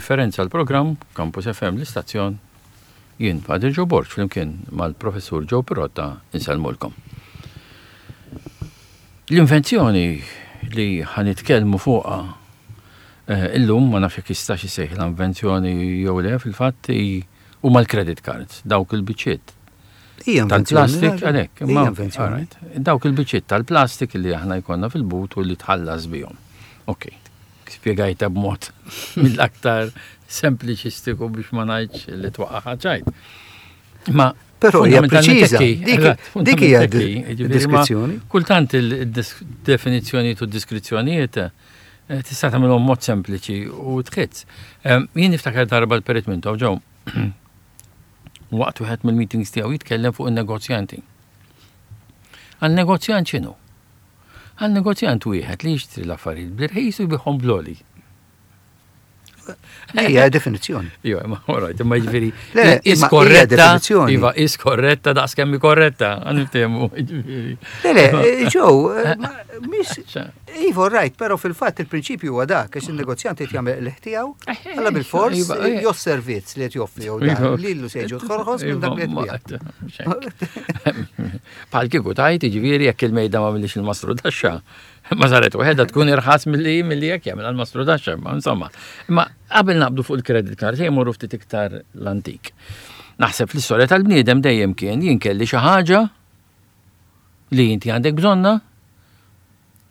Differenza l-programm, Campus FM l-istazzjon, jien Father Joe Borg flimkien mal-Professur Joe Pirotta insellmulkom. L-invenzjoni li ħa nitkellmu fuqha eh, illum ma nafx jekk jistax isejħilha invenzjoni jew le fil-fatt huma l-credit cards, dawk il-biċċiet tal-plastik għalhekk. Imma dawk il-biċċiet tal-plastik li aħna jkollna fil-but u li tħallas bihom. Ok, spjegajta b'mod mill-aktar sempliċistiku biex ma ngħidx li twaqqa' ċajt. Ma Però hija preċiża. Dik hija deskrizzjoni. Kultant il-definizzjonijiet u d-deskrizzjonijiet eh, tista' tagħmilhom mod sempliċi u tħitz. Eh, jien niftakar darba l-Perit Mintoff ġew waqt wieħed mill-meetings tiegħu jitkellem fuq in-negozjanti. Għal negozjant x'inhu? Għal negozjant wieħed li jixtri l-affarijiet bl-irħis u jbigħhom bl-għoli. Hija definizzjoni. Iva, ma alright, imma jiġifieri. Is korretta. Iva, is korretta daqs kemm korretta, għaniftehmu. Le, le, ġew, eh, mis Iva, right, però fil-fatt il-prinċipju huwa dak, għax il-negozjant qed jagħmel l tiegħu, eh, eh, alla bil-fors iva, jew servizz li qed joffri jew dan iva. lilu se jiġu tħorħos minn dak li qed Bħal kieku tajt, jiġifieri jekk il-mejda ma millix il-mastru taxxa, Ma saret waħedha tkun irħas milli milli jekk jagħmel għal mastru taxxa, ma insomma. Imma qabel naqbdu fuq il-credit card, ejja morru ftit iktar l-antik. Naħseb fl-istorja tal-bniedem dejjem kien jien kelli xi ħaġa li inti għandek bżonna,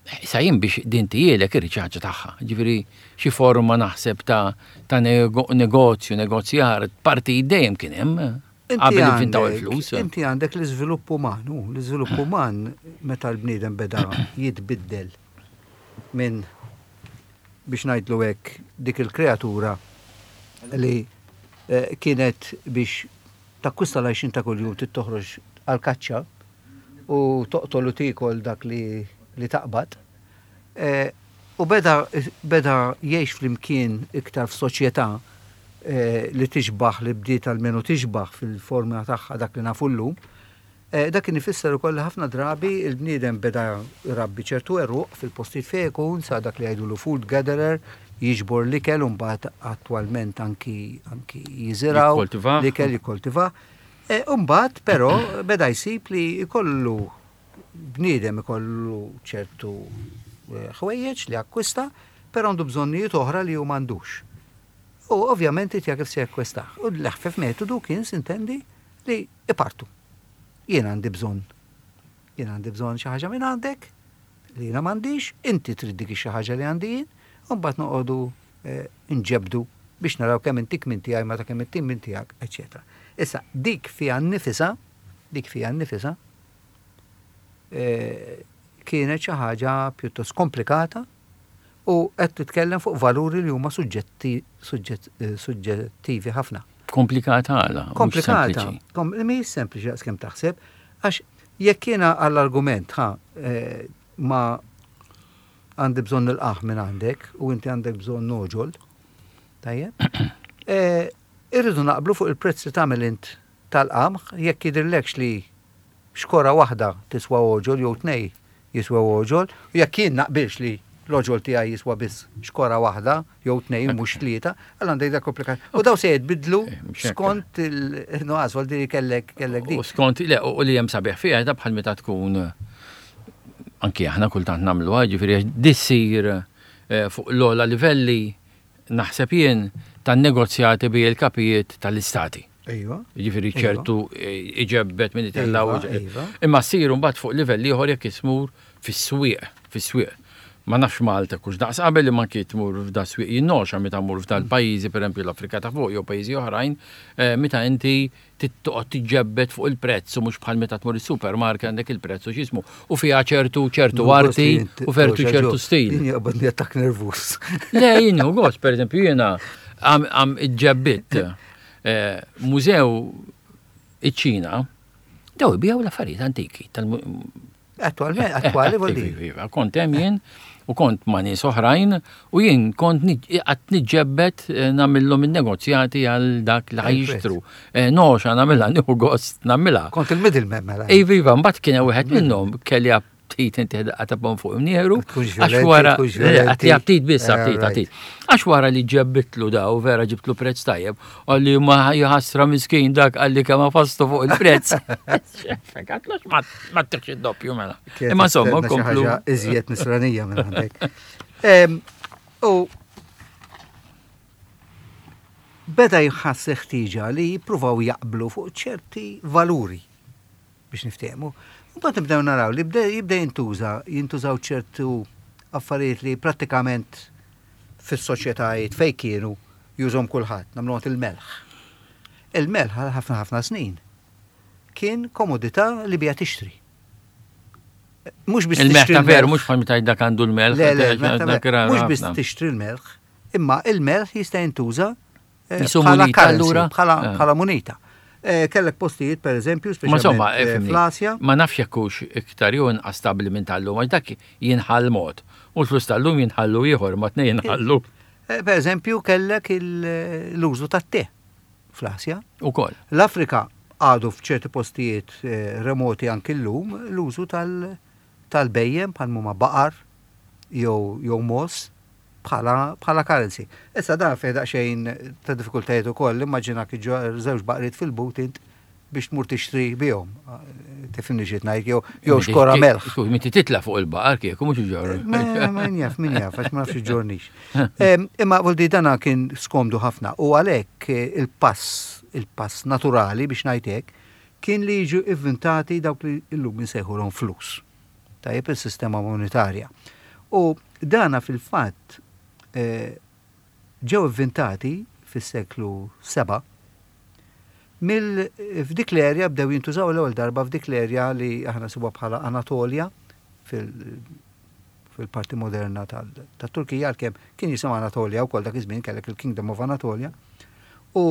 Issa jien biex din tijielek irrid xi ħaġa tagħha. Ġifieri xi forma naħseb ta' ta' negozju, negozjar, parti dejjem kien hemm. Qabel inventaw il-flus. Inti għandek l-iżvilupp uman, u l-iżvilupp uman meta l-bniedem beda jitbiddel minn biex ngħidlu hekk dik il-kreatura li eh, kienet biex takkwista l-għajxin ta' kuljum trid toħroġ għal-kaċċa u toqtol u tiekol dak li, li taqbad. Eh, u beda, beda jgħix flimkien iktar f'soċjetà li tixbah li bdiet almenu tixbah fil-forma tagħha dak li nafu llum, dak kien ifisser ukoll li ħafna drabi l-bniedem beda jrabbi ċertu għeruq fil-postijiet fejn ikun, sa dak li jgħidulu food gatherer, jiġbor l-ikel u mbagħad attwalment anki anki jiżirgħu l-ikel jikkoltivah. U mbagħad però beda jsib li jkollu bniedem ikollu ċertu ħwejjeġ li akkwista, però għandu bżonnijiet oħra li hu m'għandux. U ovvjament irid jara kif se jakkwistah. U l-eħfef metodu kien, sintendi, li ipartu. Jien għandi bżonn. Jien għandi bżonn xi ħaġa minn għandek li jiena m'għandix, inti trid dik xi ħaġa li għandi jien, u mbagħad noqogħdu eh, nġebdu biex naraw kemm intik minn tiegħi meta kemm intik minn tiegħek, eċetera. Issa, dik fiha nnifisha, dik fiha nnifisha, eh, kienet xi ħaġa pjuttost komplikata U qed titkellem fuq valuri li huma suġġetti, suġġettivi ħafna. Komplikata għala? Komplikata. Mhijiex sempliċi daqs kemm taħseb, għax jekk jiena għall-argument ħa eh, ma għandi bżonn il-qaħ minn għandek u inti għandek bżonn noġol, tajjeb, eh, irridu naqblu fuq il-prezz li tagħmel int tal-qamħ jekk jidhirlekx li xkora waħda tiswa oġol jew tnej jiswew għoġol, u jekk jien naqbilx li l-għoġol tiegħi jiswa biss xkora waħda jew tnejn mhux tlieta, allura għandek dak komplikat. U daw se jitbidlu eh, skont il-nuqqas għal li kellek kellek dik. U skont le u li hemm sabiħ fiha ta' bħal meta tkun anki aħna kultant nagħmluha, ġifieri dissir eh, fuq l-ogħla livelli naħseb jien tan-negozjati bi il-kapijiet tal-istati. Iva. Jiġifieri ċertu iġebbet minn itella u iva, iva. Imma ssiru mbagħad fuq livell ieħor jekk ismur fis-swieq, fis-swieq. Ma nafx Malta kux daqs qabel imma anki tmur f'da swieq jinnoxa meta mur f'dal pajjiżi pereżempju l-Afrika ta' fuq jew pajjiżi oħrajn, eh, meta inti toqgħod tiġġebbed fuq il-prezz u mhux bħal meta tmur is-supermarket għandek il-prezz u x'ismu u fiha ċertu ċertu arti u fertu ċertu stil. Jien jaqbadni attakk nervus. Le, jien gost, pereżempju jiena għam iġġebbit eh, mużew iċ-Ċina, daw ibijaw l-affarijiet antiki. Attualment, eh, attwali eh, vuol Iva, kont hemm jien u kont ma' nies oħrajn u jien kont qatt niġġebbet nagħmilhom in-negozjati għal dak li ħajjixtru. Noxa nagħmilha, nieħu gost nagħmilha. Kont il-middleman mela. Iva, iva, mbagħad kien hemm wieħed minnhom kelli. ftit inti daqqa ta' bon fuq imnieħru. Għax wara, għatli ftit biss, eh, ftit, ftit. Għax wara li ġebbitlu daw, vera ġibtlu prezz tajjeb, għalli ma jħassra miskin dak għalli kemm fastu fuq il-prezz. Għatlax ma t id-doppju mela. Imma insomma, komplu. Iżjed nisranija minn għandek. U beda jħass ħtieġa li jippruvaw jaqblu fuq ċerti valuri biex niftehmu. Mbagħad nibdew naraw li jibda jintuża, jintużaw ċertu affarijiet li prattikament fis-soċjetajiet fejn kienu jużhom kulħadd, nagħmlu il-melħ. Il-melħ għal ħafna ħafna snin kien komodità li bija tixtri. Mhux biss il-melħ ta' veru, mhux bħal meta dak għandu l-melħ. Mhux biss tixtri l-melħ, imma il-melħ jista' jintuża eh, bħala allura eh. bħala munita. Eh, kellek postijiet, per eżempju, speċjalment fl-Asja. Ma nafx jekk hux iktar jew inqas stabbli minn tal-lum, għax dak jinħall mod. U l-flus tal-lum jinħallu ieħor, ma tnej jinħallu. Per eżempju, kellek l-użu tat-te fl-Asja. Ukoll. L-Afrika għadu f'ċerti postijiet remoti anki llum l-użu tal-bhejjem bħal mhuma baqar jew jew mogħoż bħala bħala currency. Issa dan fih daqsxejn ta' diffikultajiet ukoll, immaġinak iġġorr żewġ baqriet fil-but int biex tmur tixtri bihom. Tifhimni xi ngħid jew jew xkora melħ. Skuż, minti titla' fuq il-baqar kieku mhux iġorr. Min jaf, min jaf, għax ma nafx iġġornix. Imma voldi dana kien skomdu ħafna u għalhekk il-pass, il-pass naturali biex ngħid hekk, kien li jiġu ivvintati dawk li llum insejħulhom flus. Tajjeb is-sistema monetarja. U dana fil-fatt eh, ġew ivvintati fis-seklu 7 mill f'dik l-erja bdew jintużaw l-ewwel darba f'dik l-erja li aħna nsibuha bħala Anatolja fil fil-parti moderna tat-Turkija għalkemm kien jisimha Anatolja wkoll dak iż-żmien kellek il-Kingdom of Anatolia u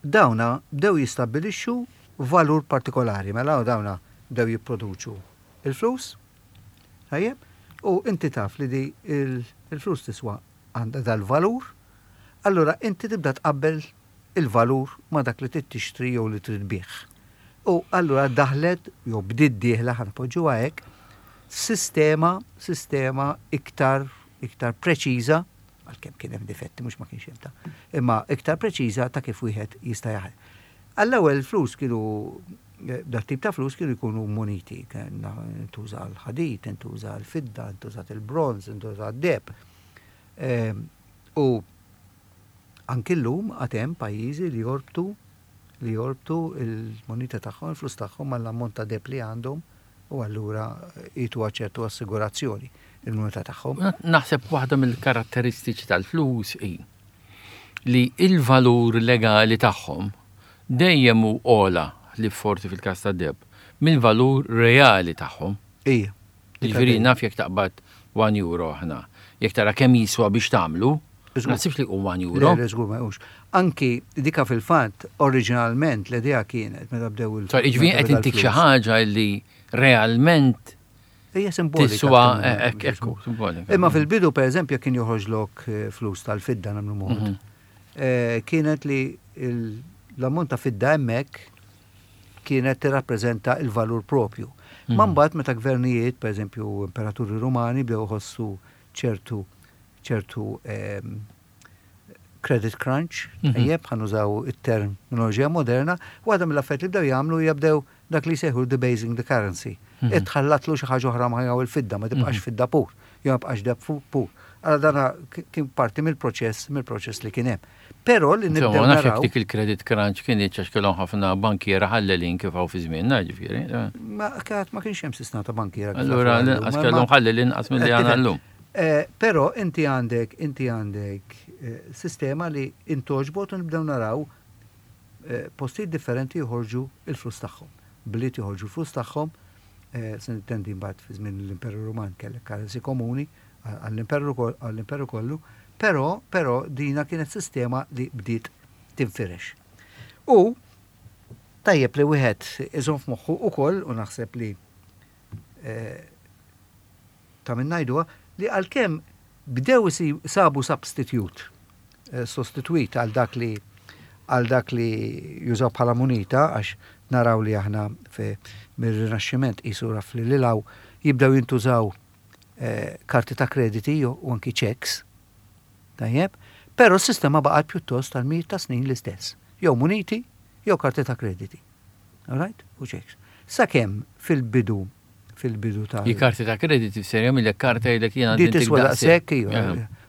dawna bdew jistabbilixxu valur partikolari mela dawna bdew jipproduċu il-flus tajjeb u inti taf li di il-flus tiswa għandha dal-valur allura inti tibda tqabbel il-valur ma' dak li trid tixtri jew li trid tbigħ. U allura daħlet, jew bdiet dieħla, ħa npoġġuha hekk, sistema, sistema iktar, iktar preċiża, għalkemm kien hemm difetti mhux ma kienx hemm ta', imma iktar preċiża ta' kif wieħed jista' jaħdem. Għall-ewwel il-flus kienu, dat tip ta' flus kienu jkunu muniti, intuża l-ħadid, intuża l-fidda, intużat il-bronż, intuża d-deheb. U Anki llum għad hemm pajjiżi li jorbtu li jorbtu l-munita tagħhom, il-flus tagħhom mal-ammont ta' deheb li għandhom u allura jtuha ċertu assigurazzjoni il-munita tagħhom. Naħseb waħda mill-karatteristiċi tal-flus hi li l-valur legali tagħhom dejjem hu ogħla, ħlief forsi fil-każ tad-deheb, mill-valur reali tagħhom. Ija. Jiġifieri naf jekk taqbad 1 euro aħna, jekk tara kemm jiswa biex tagħmlu, ma naħsibx li jqum 1 euro. Le, żgur ma jqumx. Anki dika fil-fatt oriġinalment l-idea kienet meta bdew il. Jiġifieri qed intik xi ħaġa li realment Hija simbolika. Tiswa hekk ekku, simbolika. Imma fil-bidu pereżempju kien joħroġlok eh, flus tal-fidda nagħmlu mod. Mhm. Eh, kienet li l-ammont ta' fidda hemmhekk kienet tirrappreżenta l-valur propju. Ma mbagħad meta gvernijiet, pereżempju imperaturi Rumani bdew iħossu ċertu ċertu ehm, credit crunch, mhm. tajjeb, ħa nużaw it-terminoloġija moderna, waħda mill-affarijiet li bdew jagħmlu hija bdew dak li jsejħu debasing the currency. Mhm. Itħallatlu xi ħaġa oħra ma jew il-fidda, ma tibqax mhm. fidda pur, jew ma tibqax deb pur. Allora dana kien parti mill-proċess mill-proċess li kien hemm. Però li nibdew naraw. Nafx dik il-credit crunch kien għax kellhom ħafna bankiera ħallelin kif hawn fi żmienna, ġifieri. Ma kienet ma kienx hemm sistema ta' bankiera. Allura l-inqas kellhom ħallelin inqas milli għandna llum. Eh, però inti għandek inti għandek eh, sistema li intoġbot u nibdew naraw eh, postijiet differenti joħorġu il-flus tagħhom. Bliet joħorġu l-flus tagħhom, se nittendi mbagħad fi żmien l-Imperu Ruman kellek currency komuni, għall-imperu kollu, però, però dina kienet sistema li bdiet tinfirex. U tajjeb li wieħed iżomm f'moħħu ukoll u naħseb li eh, ta' min ngħiduha li għalkemm bdew sabu substitute, eh, sostituit għal dak li għal dak li jużaw bħala munita għax naraw li aħna mir-Rinaxximent qisu raf li lilaw. jibdew jintużaw eh, karti ta' krediti u anki checks. Tajjeb, però s-sistema baqgħet pjuttost tal-mijiet ta' snin l-istess. Jew muniti, jew karti ta' krediti. Alright? U checks. Sakemm fil-bidu fil-bidu ta' I karti ta' krediti ser jagħmilek karta jgħidlek jiena Di tiswa daqshekk iva.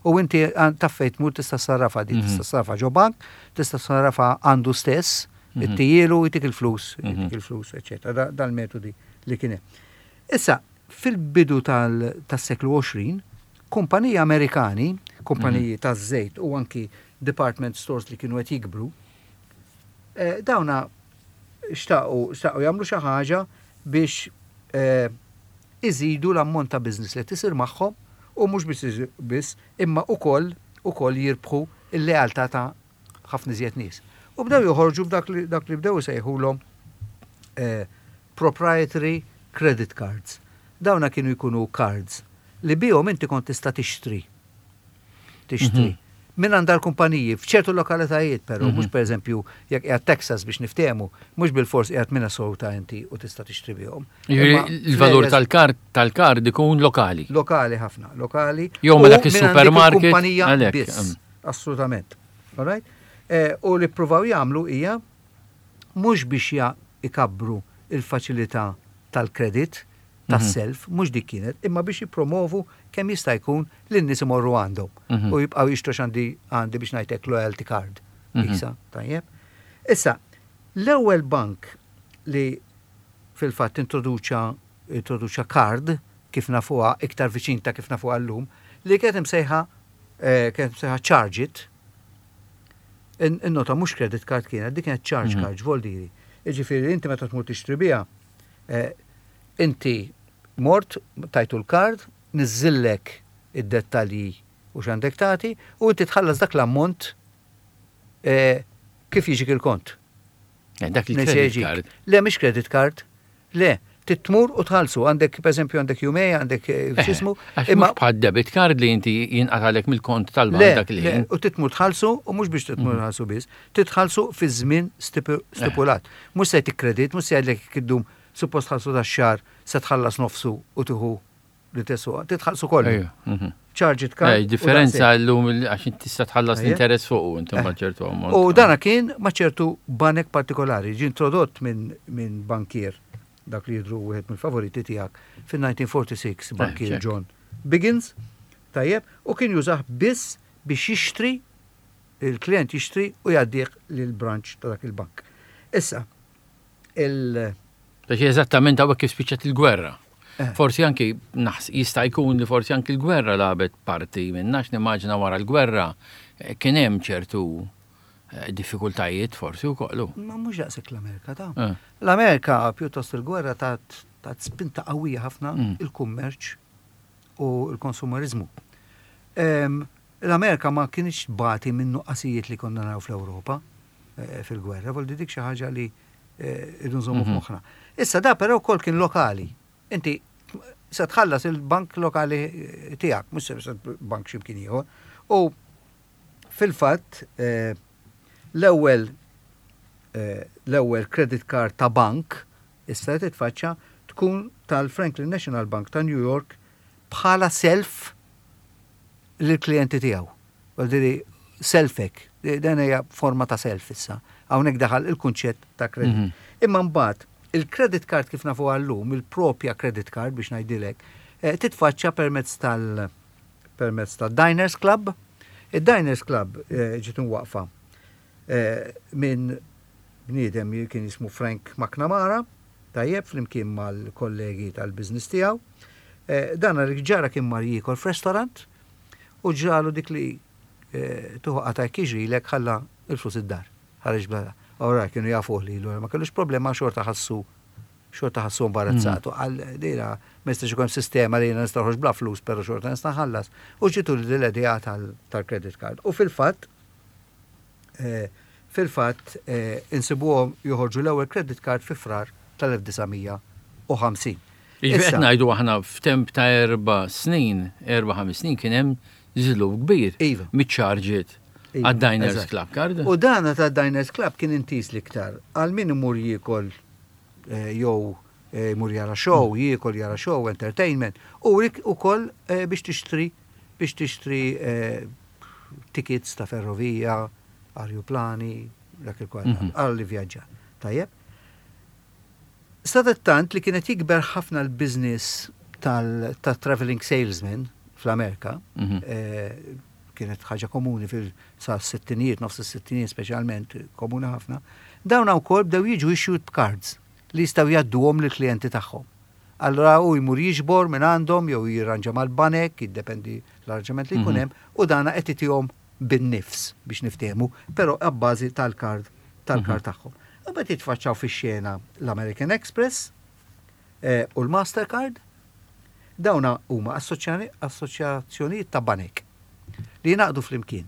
U inti taf fejn tmur tista' sarrafa di, mhm. tista' sarrafa ġo bank, tista' sarrafa għandu stess, mhm. ittijielu jtik il-flus, jtik mhm. il-flus, eċetera. Dal-metodi li kien hemm. Issa, fil-bidu tas-seklu 20, kumpaniji Amerikani, kumpaniji taż-żejt u anki department stores li kienu qed jikbru, eh, dawna xtaqu xtaqu jagħmlu xi ħaġa biex eh, iżidu l-ammont ta' business li tisir magħhom u mhux biss biss imma ukoll ukoll jirbħu l-lealtà ta' ħafna iżjed nies. U bdew joħorġu b'dak li dak li bdew isejħulhom eh, proprietary credit cards. Dawna kienu jkunu cards li bihom inti kont tista' tixtri tixtri. Mhm. Minn għand dal-kumpaniji f'ċertu lokalitajiet però, mhux mhm. pereżempju jekk qiegħed Texas biex niftehmu, mhux bil-fors qiegħed Minnesota inti u tista' tixtri bihom. Il-valur tal-kard tal-kard ikun lokali. Lokali ħafna, lokali. Jew mela dak is-supermarket. Kumpanija biss. Mm. Assolutament. All right? Eh, u li ppruvaw jagħmlu hija mhux biex ikabbru il-faċilità tal-kredit, tas-self, mhux dik kienet, imma biex jippromovu kemm jista' jkun li n-nies imorru għandhom mhm. u jibqgħu jixtru x'għandi għandi biex ngħidlek loyalty card. Mhm. Isa, tajjeb. Issa, l-ewwel bank li fil-fatt introduċa introduċa card kif nafuha iktar viċin ta' kif nafuha llum, li kienet imsejħa eh, kienet imsejħa charge it. In-nota mhux credit card kienet, dik kienet charge mhm. card, voldiri. Jiġifieri inti meta tmur tixtri biha, eh, Inti mort, tajtu l-kard, niżżillek id-dettalji u x'għandek tagħti, u inti tħallas dak l-ammont kif jiġik il-kont. Eh, dak il-credit card. Le, mhix credit card. Le, titmur u tħallsu. Għandek, per eżempju, għandek jumej, għandek eh, eh, x'ismu. Imma bħal debit card li inti jinqatalek mill-kont tal-bank dak li. U titmur tħallsu u mhux biex titmur mhm. tħallsu biss, titħallsu fi żmien stipulat. Mhux se jtik kredit, mhux se jgħidlek iddum Suppost tħallsu tax-xahar se tħallas nofsu u tieħu li teswa. Titħallsu kollu. Mhm. Charge it card. Differenza llum għax inti tista' tħallas l-interess fuq inti ma ċertu ammont. U dana kien ma' ċertu banek partikolari, ġie introdott minn bankier dak li jidru wieħed mill-favoriti tiegħek fin-1946 bankier John Biggins, tajjeb, u kien jużah biss biex jixtri il-klient jixtri u jgħaddih lill-branch ta' dak il-bank. Issa, il- Biex eżattament hawnhekk kif spiċċat il-gwerra. Eh. Forsi anki jista' jkun li forsi anki l-gwerra lagħbet parti minna għax nimmaġina wara l-gwerra eh, kien hemm ċertu eh, diffikultajiet forsi wkoll. Ma mhux daqshekk l-Amerika ta'. L-Amerika pjuttost il-gwerra tat spinta qawwija ħafna mm. il-kummerċ u l-konsumerizmu. L-Amerika ma kienx bati minn nuqqasijiet li konna naraw fl-Ewropa. Eh, fil-gwerra, voldi dik xi ħaġa li eh, irridu nżommu mhm. f'moħħna. Issa da però wkoll kien lokali. Inti se tħallas il-bank lokali eh, tiegħek, mhux se bank x'imkien ieħor. U fil-fatt l-ewwel l-ewwel credit card ta' bank issa titfaċċa tkun tal-Franklin National Bank ta' New York bħala self lill-klijenti tiegħu. Vuol selfek, dan hija forma ta' self issa. Hawnhekk daħal il-kunċett ta' credit. Mhm. Imma mbagħad il-credit card kif nafu għallum, il-propja credit card biex ngħidilek, eh, titfaċċa permezz tal permezz tal-Diners Club. Id-Diners Club eh, ġiet waqfa eh, minn bniedem kien jismu Frank McNamara, tajjeb flimkien mal-kollegi tal-business tiegħu. Dan għalik ġara kien mar jiekol f'restaurant u ġralu dik li eh, tuħu qata jekk jiġrilek ħalla il-flus id-dar. Ħareġ bla. Ora kienu jafuh lilu, ma kellux problema xorta ħassu xorta ħassu imbarazzatu. Mm. Għal dira ma jistax ikun sistema li jiena nista' bla flus, però xorta nista' nħallas. U ġitu l-idea tal-credit card. U fil-fatt eh, fil-fatt eh, insibuhom joħorġu l-ewwel credit card fi frar tal-1950. Jiġifieri qed ngħidu aħna f'temp ta' erba' snin, erba' ħames snin kien hemm żvilupp kbir. Iva. Miċ-charge iva, għad-Diners Club card. U dana ta' Diners Club kien intiż l-iktar għal min imur jiekol eh, jew Jmur jara show, jiekol jara show, entertainment, u ukoll biex tixtri biex tixtri tickets ta' ferrovija, arjuplani, dak il-kwal, għal vjaġġar. Tajjeb. Sadattant li kienet jikber ħafna l-business tal-traveling salesman fl-Amerika, kienet ħaġa komuni fil-sa sittinijiet, nofs is-sittinijiet speċjalment, komuni ħafna, dawn wkoll bdew jiġu issued cards li jistgħu jgħadduhom lill-klijenti tagħhom. Allura hu jmur jiġbor minn għandhom jew jirranġa mal-banek, jiddependi l-arranġament li jkun hemm, u dana qed itihom bin-nifs biex niftehmu, però abbażi tal-kard tal-kard tagħhom. U mbagħad jitfaċċaw fix-xena l-American Express u l-Mastercard. Dawna huma assoċjazzjonijiet ta' banek li jingħaqdu flimkien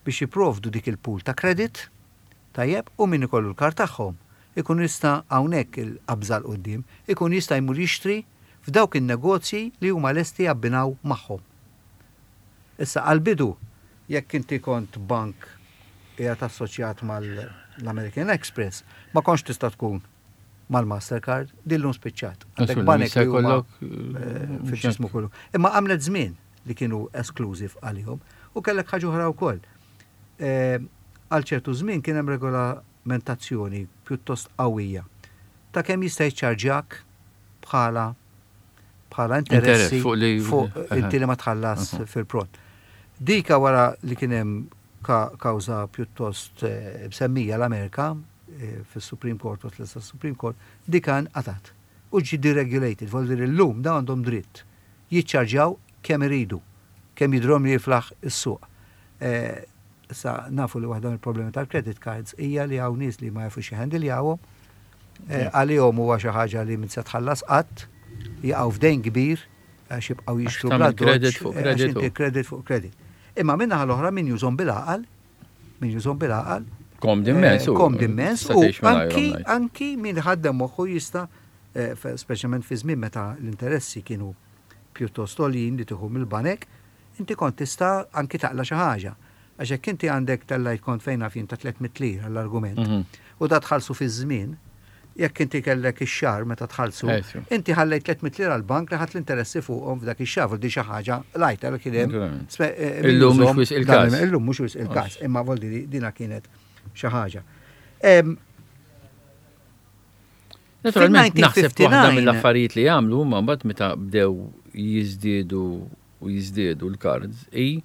biex jipprovdu dik il-pool ta' credit, tajjeb, u min ikollu l-kard tagħhom ikun jista' hawnhekk il-qabża 'l quddiem, ikun jista' jmur jixtri f'dawk in-negozji li huma lesti jabbinaw magħhom. Issa għall-bidu, jekk inti kont bank qiegħed assoċjat mal-American Express, ma kontx tista' tkun mal-Mastercard, din illum spiċċat. Għandek banek li huma fil-ġismu kollu. Imma għamlet żmien li kienu exclusive għalihom u kellek ħaġa oħra wkoll. Għal ċertu żmien kien hemm regolamentazzjoni pjuttost qawwija ta' kemm jista' jiċċarġjak bħala bħala interessi fuq inti li ma tħallas fil-pront. Dika wara li kien hemm kawża pjuttost msemmija l-Amerika fis-Supreme Court, waslet sas-Supreme Court, dika nqatgħet u ġie deregulated, vuol dire llum dawn għandhom dritt jiċċarġjaw kemm iridu, kemm jidhirhom li jiflaħ is-suq. Issa nafu li waħda mill-problemi tal-credit cards hija li hawn nies li ma jafux jħendiljawhom, għalihom huwa xi ħaġa li min se tħallas qatt, jaqgħu f'dejn kbir għax jibqgħu jixtru bla credit fuq credit. Credit fuq credit. Imma min-naħa l-oħra min jużhom bil-għaqal, min jużhom bil-għaqal. Komdi immens. Komdi immens. U anki, anki min ħaddem moħħu jista' speċjalment fi żmien meta l-interessi kienu pjuttost għoljin li tieħu mill-banek, inti kont tista' anki taqla' xi ħaġa. Għax jekk inti għandek tellajt kont fejn naf jien ta' 300 lira l-argument, u da tħallsu fi żmien, jekk inti kellek ix-xahar meta tħallsu, inti ħallejt 300 lira l-bank li ħadd l-interessi fuqhom f'dak ix-xahar, di xi ħaġa lajta li kien hemm. Illum mhux wisq il-każ. Illum mhux wisq il-każ, imma vuol dire dina kienet xi ħaġa. Naturalment, naħseb waħda mill-affarijiet li jagħmlu huma mbagħad meta bdew jiżdiedu u jiżdiedu l-cards hi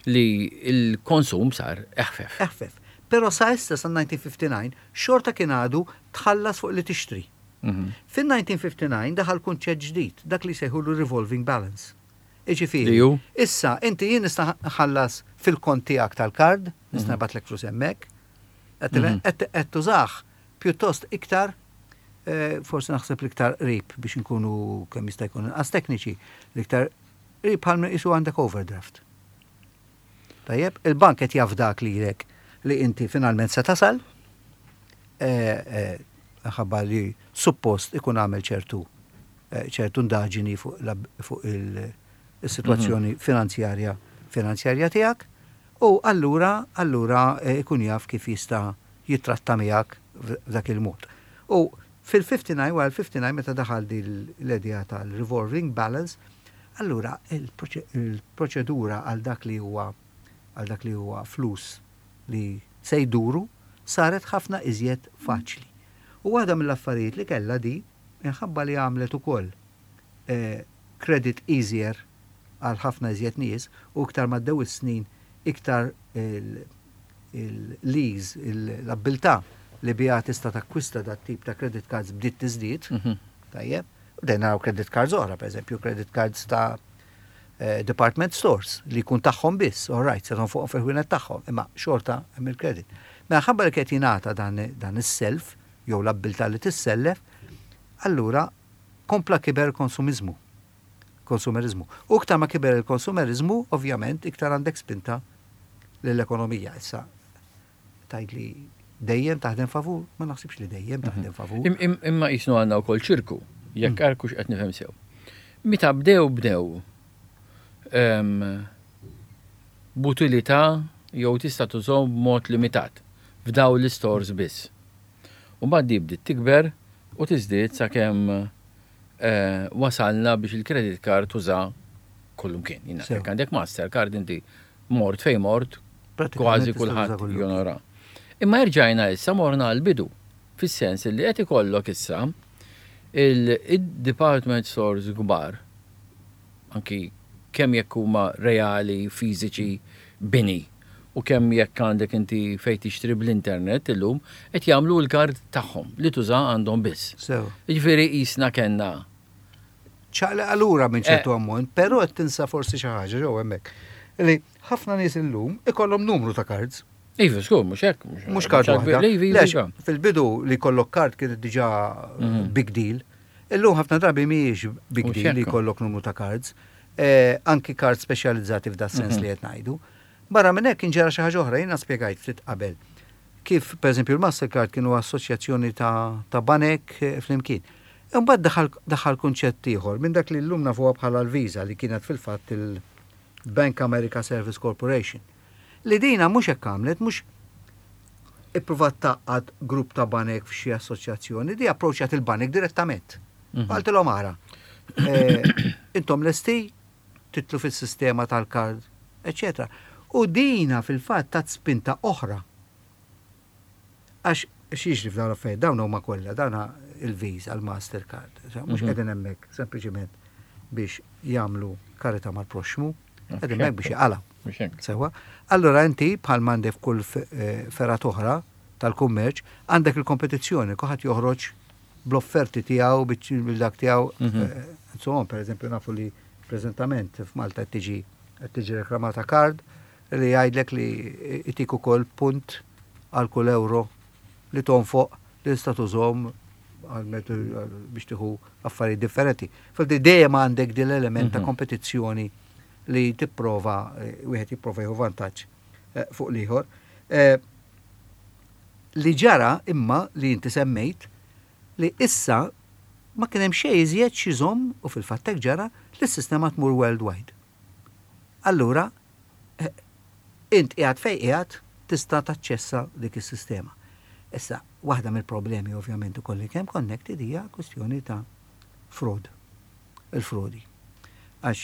li l-konsum sar eħfef. Eħfef. Però sa issa sa 1959 xorta kien għadu tħallas fuq li tixtri. Fin-1959 daħal kunċett ġdid, dak li sejħulu revolving balance. Iġifieri, issa inti jien nista' nħallas fil-kont tiegħek tal-kard, nista' nibgħatlek flus hemmhekk, qed tużah pjuttost iktar forsi naħseb l-iktar qrib biex inkunu kemm jista' jkun inqas tekniċi, l-iktar qrib bħal qisu għandek overdraft. Tajjeb, il-bank qed jafdak lilek li inti finalment se tasal, ħabba li suppost ikun għamel ċertu ċertu ndaġini fuq il-situazzjoni finanzjarja finanzjarja tiegħek u allura allura ikun jaf kif jista' jitratta miegħek f'dak il-mod. U fil-59, wara l-59 meta daħal din l-idea tal-revolving balance, allura il-proċedura għal dak li huwa għal dak li huwa flus li se jduru saret ħafna iżjed faċli. U waħda mill-affarijiet li kellha di, minħabba li għamlet ukoll credit easier għal ħafna iżjed nies u iktar maddew is-snin iktar il-lease, l-abbiltà li biha tista' takkwista dat tip ta' credit cards bdiet tiżdied, tajjeb, u dejna naraw credit cards oħra, per eżempju, credit cards ta' department stores li jkun tagħhom biss, all right, se fuqhom fil-ħwienet tagħhom, imma xorta hemm il-credit. Mela ħabba li qed jingħata dan is-self jew l-abbiltà li tissellef, allura kompla kiber konsumiżmu. Konsumerizmu. U iktar ma kiber il-konsumerizmu, ovvjament, iktar għandek spinta l-ekonomija. Issa, tgħid li dejjem taħdem favur, ma naħsibx li dejjem taħdem favur. Imma jisnu għandna wkoll ċirku, jekk arkux qed nifhem sew. Meta bdew bdew b'utilità jew tista' tużhom b'mod limitat f'daw l-istores biss. U mbagħad di bdiet tikber. u tiżdied sakemm wasalna biex il-credit card tuża kullimkien. Jiena jekk għandek Mastercard inti mort fejn mort kważi kulħadd jonora. Imma erġajna issa morna għall-bidu, fis-sens li qed ikollok issa il-department stores kbar, anki kemm jekk huma reali, fiżiċi, bini, u kemm jekk għandek inti fejn tixtri bl-internet illum, qed jagħmlu l-kard tagħhom li tuża għandhom biss. Jiġifieri qisna kellna. Ċaqliqa lura minn ċertu ammont, però qed tinsa forsi xi ħaġa ġew hemmhekk. Li ħafna nies illum ikollhom numru ta' cards. Iva, żgur, mhux hekk. Mhux kard waħda. Iva. Fil-bidu li jkollok kard kienet diġà big deal. Illum ħafna drabi mhijiex big deal li jkollok numru ta' cards. Anki cards speċjalizzati f'da sens li qed ngħidu. Barra minn hekk inġara xi ħaġa oħra, jiena spjegajt ftit qabel kif pereżempju l-Mastercard kienu assoċjazzjoni ta' banek flimkien. Imbagħad daħal kunċett ieħor minn dak li llum nafuha bħala l-Visa li kienet fil-fatt il-Bank America Service Corporation. Li dina mhux hekk għamlet, mhux ippruvat tgħaqqad grupp ta' banek f'xi assoċjazzjoni, di approċċjat il-banek direttament. Qaltilhom ara, intom lesti titlu fis-sistema tal-kard, eċċetera. U dina fil-fatt tat spinta oħra. Għax x'jiġri f'dawn l-affarijiet, dawn huma kollha, dawn il-Visa, l-Mastercard, mhux qegħdin hemmhekk sempliċiment biex jagħmlu karità mal-proxxmu, qegħdin hemmhekk biex jaqalgħu. Sewwa. Allura inti bħal m'għandek f'kull fergħat oħra tal-kummerċ, għandek il-kompetizzjoni, kulħadd joħroġ bl-offerti tiegħu, bil-dak tiegħu. Insomma, per eżempju nafu li preżentament f'Malta qed tiġi qed tiġi reklamata kard li jgħidlek li itik ukoll punt għal kull euro li tonfoq li tista' tużhom biex tieħu affarijiet differenti. Fil dejjem għandek din l-element ta' kompetizzjoni li tipprova wieħed jipprova jieħu vantaġġ fuq l-ieħor. Li ġara imma li inti semmejt li issa ma kien hemm xejn iżjed x'iżomm u fil-fatt hekk ġara li s-sistema tmur worldwide. Allura int qiegħed fejn qiegħed tista' taċċessa dik is-sistema. Issa, waħda mill-problemi ovvjament ukoll li kemm connected hija kwistjoni ta' fraud. Il-frodi. Għax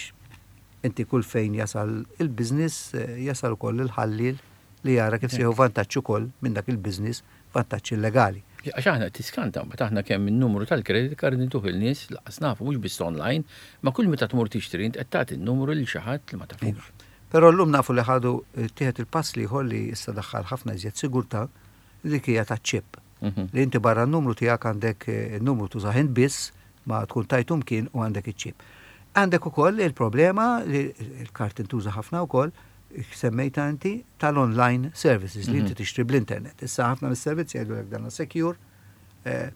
inti kull fejn jasal il-business jasal ukoll il-ħalliel li jara kif se jieħu vantaġġ ukoll minn dak il-business, vantaġġ illegali. Għax aħna tiskanta mbagħad aħna kemm in-numru tal-credit card intuh il-nies lanqas nafu mhux biss online, ma kull meta tmur tixtri int qed tagħti n-numru lil xi ħadd li ma tafux. Però llum nafu li ħadu ttieħed il-pass l-ieħor li issa daħħal ħafna iżjed sigurtà li dik hija taċ-chip. Li inti barra n-numru tiegħek għandek in-numru tużah int biss ma tkun tajtu mkien u għandek iċ-chip. Għandek ukoll il-problema li l-kard tintuża ħafna wkoll semmejta inti tal-online services li inti tixtri bl-internet. Issa ħafna mis-servizzi jgħidulek dan secure,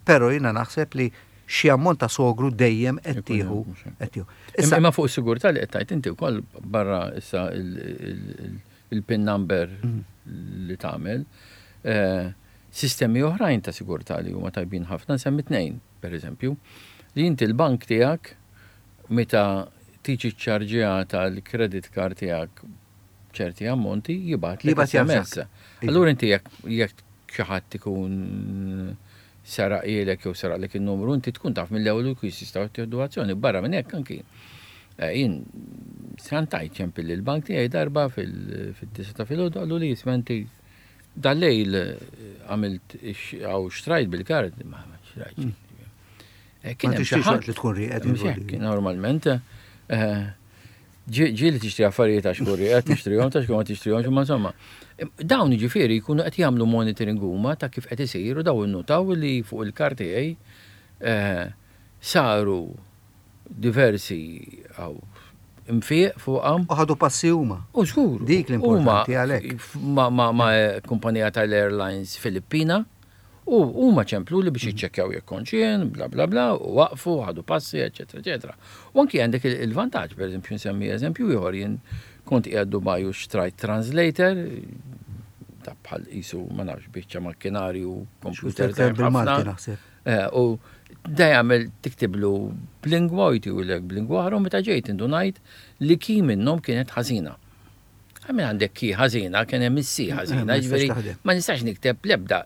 però jiena naħseb li xi ammont ta' sogru dejjem qed tieħu qed tieħu. Issa imma fuq is-sigurtà li qed tgħid inti wkoll barra issa il-pin number li tagħmel, sistemi oħrajn ta' sigurtà li huma tajbin ħafna nsemmi tnejn, pereżempju, li inti l-bank tiegħek meta tiġi ċċarġjata l-credit card tiegħek ċerti ammonti jibgħatlek SMS. Allura inti jekk xi ħadd ikun saraqilek jew saraqlek in-numru, inti tkun taf mill-ewwel u jkun jistgħu jittieħdu azzjoni. Barra minn hekk anki jien skantajt ċempil lill-bank tiegħi darba fid-disa ta' filgħodu qallu li isma' inti dal-lejl għamilt għaw xtrajt bil-kard, ma xtrajt. Kien hemm xi ħadd li tkun rieqed. Normalment ġieli tixtri affarijiet għax tkun rieqed, tixtrihom ta' ma tixtrihomx, imma insomma. Dawn jiġifieri jkunu qed jagħmlu monitoring huma ta' kif qed isir u dawn innutaw li fuq il-kard tiegħi saru diversi għaw infiq fuqha. U ħadu passi huma. U żgur. Dik l-importanti għalhekk. Ma' kumpanija tal-airlines Filippina. U huma ċempluli biex jiċċekkjaw jekk kontx jien, bla bla bla, u waqfu, ħadu passi, eċetera, eċetera. U anki għandek il-vantaġġ, per eżempju, nsemmi eżempju ieħor, jien kont qiegħed Dubai u xtrajt translator, ta' bħal qisu ma nafx biċċa makkinarju, computer tajjeb ħafna. U da jagħmel tiktiblu b'lingwa u jtiwlek b'lingwa oħra u meta ġejt indunajt li key minnhom kienet ħażina. Għamil għandek ki ħażina, kien hemm is-si ħażina, ġifieri ma nistax nikteb l-ebda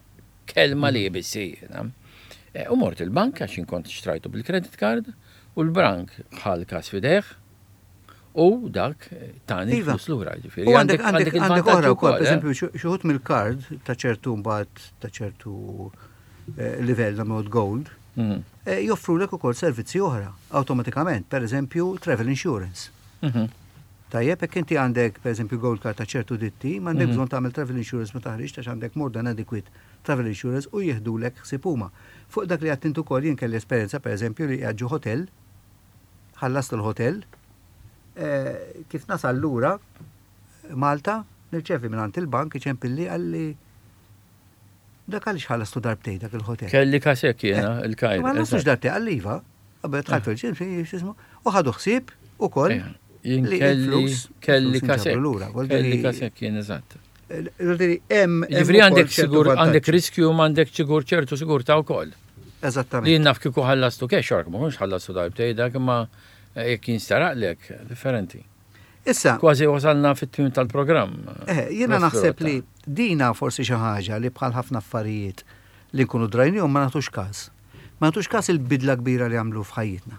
kelma li bis-si. U mort il-bank għax kont xtrajtu bil-credit card u l-bank ħa l-każ f'idejh u dak tani Iva. flus lura. Ġifieri U għandek għandek għandek oħra wkoll, eh? pereżempju xi wħud mill-card ta' ċertu mbagħad ta' ċertu livell ta' mod gold, joffrulek ukoll servizzi oħra awtomatikament, pereżempju travel insurance. Tajjeb, jekk inti għandek pereżempju gold card ta' ċertu ditti, m'għandek bżonn tagħmel travel insurance ma taħriġ għax għandek more than adequate travel insurance u jieħdulek ħsieb huma. Fuq dak li għedt int ukoll jien kelli esperjenza pereżempju li qiegħed ġo hotel, ħallast il-hotel, kif nasal lura Malta, nirċevi minn il-bank iċempilli qalli dak għaliex ħallastu darbtejn dak il-hotel. Kelli każ hekk jiena, il-Kajr. Ma ħallastux darbtejn, qalli iva, qabel dħalt fil-ġim, x'ismu, u ħadu ħsieb ukoll Jien li kelli il-flus kelli il-flus każ hekk. inġabru lura. Vuol Kelli dire- każ hekk jien eżatt. Vuol dire, hemm Ġifieri ukoll għandek ċertu sigur għandek vantaġġi. riskju ma għandek sigur ċertu sigurtà wkoll. Li Eżattament. naf kieku ħallastu cash, ma kontx ħallastu darbtejn dak imma jekk jinstaraqlek, differenti. Issa, Kważi wasalna fit-tmiem tal-programm. Jiena Professor naħseb li dina forsi xi ħaġa li bħal ħafna affarijiet li nkunu drajnihom ma nagħtux każ. Ma nagħtux każ il-bidla kbira li għamlu f'ħajjitna.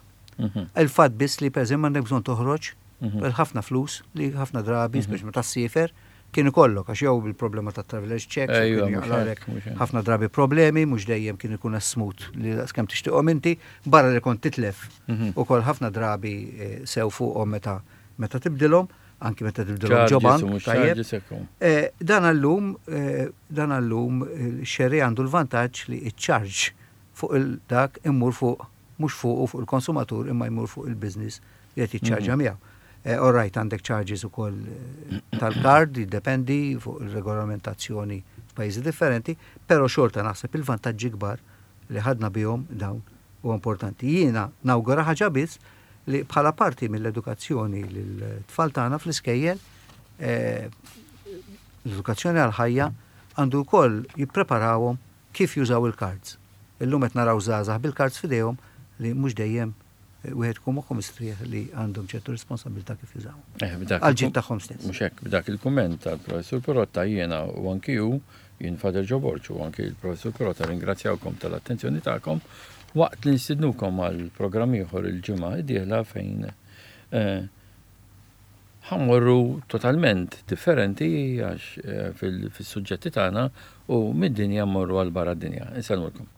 Il-fatt biss li pereżempju m'għandek bżonn toħroġ ħafna flus li ħafna drabi, speċi meta ssiefer, kien ikollok għax jew bil-problema ta' travelers checks, Ejwa, kien mhux jaqlalek hekk, mhux hekk. ħafna drabi problemi, mhux dejjem kien ikun smooth li kemm tixtieqhom inti, barra li kont titlef ukoll ħafna drabi sew fuqhom meta tibdilhom, anki meta tibdilhom ġo Charges bank, u mhux tajjeb. charges ekku. Dan għallum xerri għandu l-vantaġġ li iċ-charge fuq il-dak immur fuq, mhux fuq u fuq il-konsumatur imma jmur fuq il-business li qed jiċċarġa miegħu. All right, għandek charges ukoll tal-card, jiddependi fuq il-regolamentazzjoni f'pajjiżi differenti, però xorta naħseb il-vantaġġi kbar li ħadna bihom dawn u importanti. Jiena nawgura ħaġa biss li bħala parti mill-edukazzjoni l-tfal tagħna fl-iskejjel, l-edukazzjoni għal-ħajja għandu wkoll jippreparawhom kif jużaw il-cards. Illum qed naraw żgħażagħ bil-cards f'idejhom li mhux dejjem wieħed ikun moħħu mistrieħ li għandhom ċertu responsabilità kif jużaw. B'dak Għal ġid tagħhom stess. Mhux hekk, b'dak il-kumment tal-Professur Pirotta jiena u anki hu, jien Father Joe Borg u anki il-Professur Pirotta ringrazzjawkom tal-attenzjoni tagħkom waqt li nstidnukom għal programm ieħor il-ġimgħa d-dieħla fejn ħa mmorru totalment differenti għax fis-suġġetti tagħna u mid-dinja mmorru għal barra d-dinja. Insellmulkom.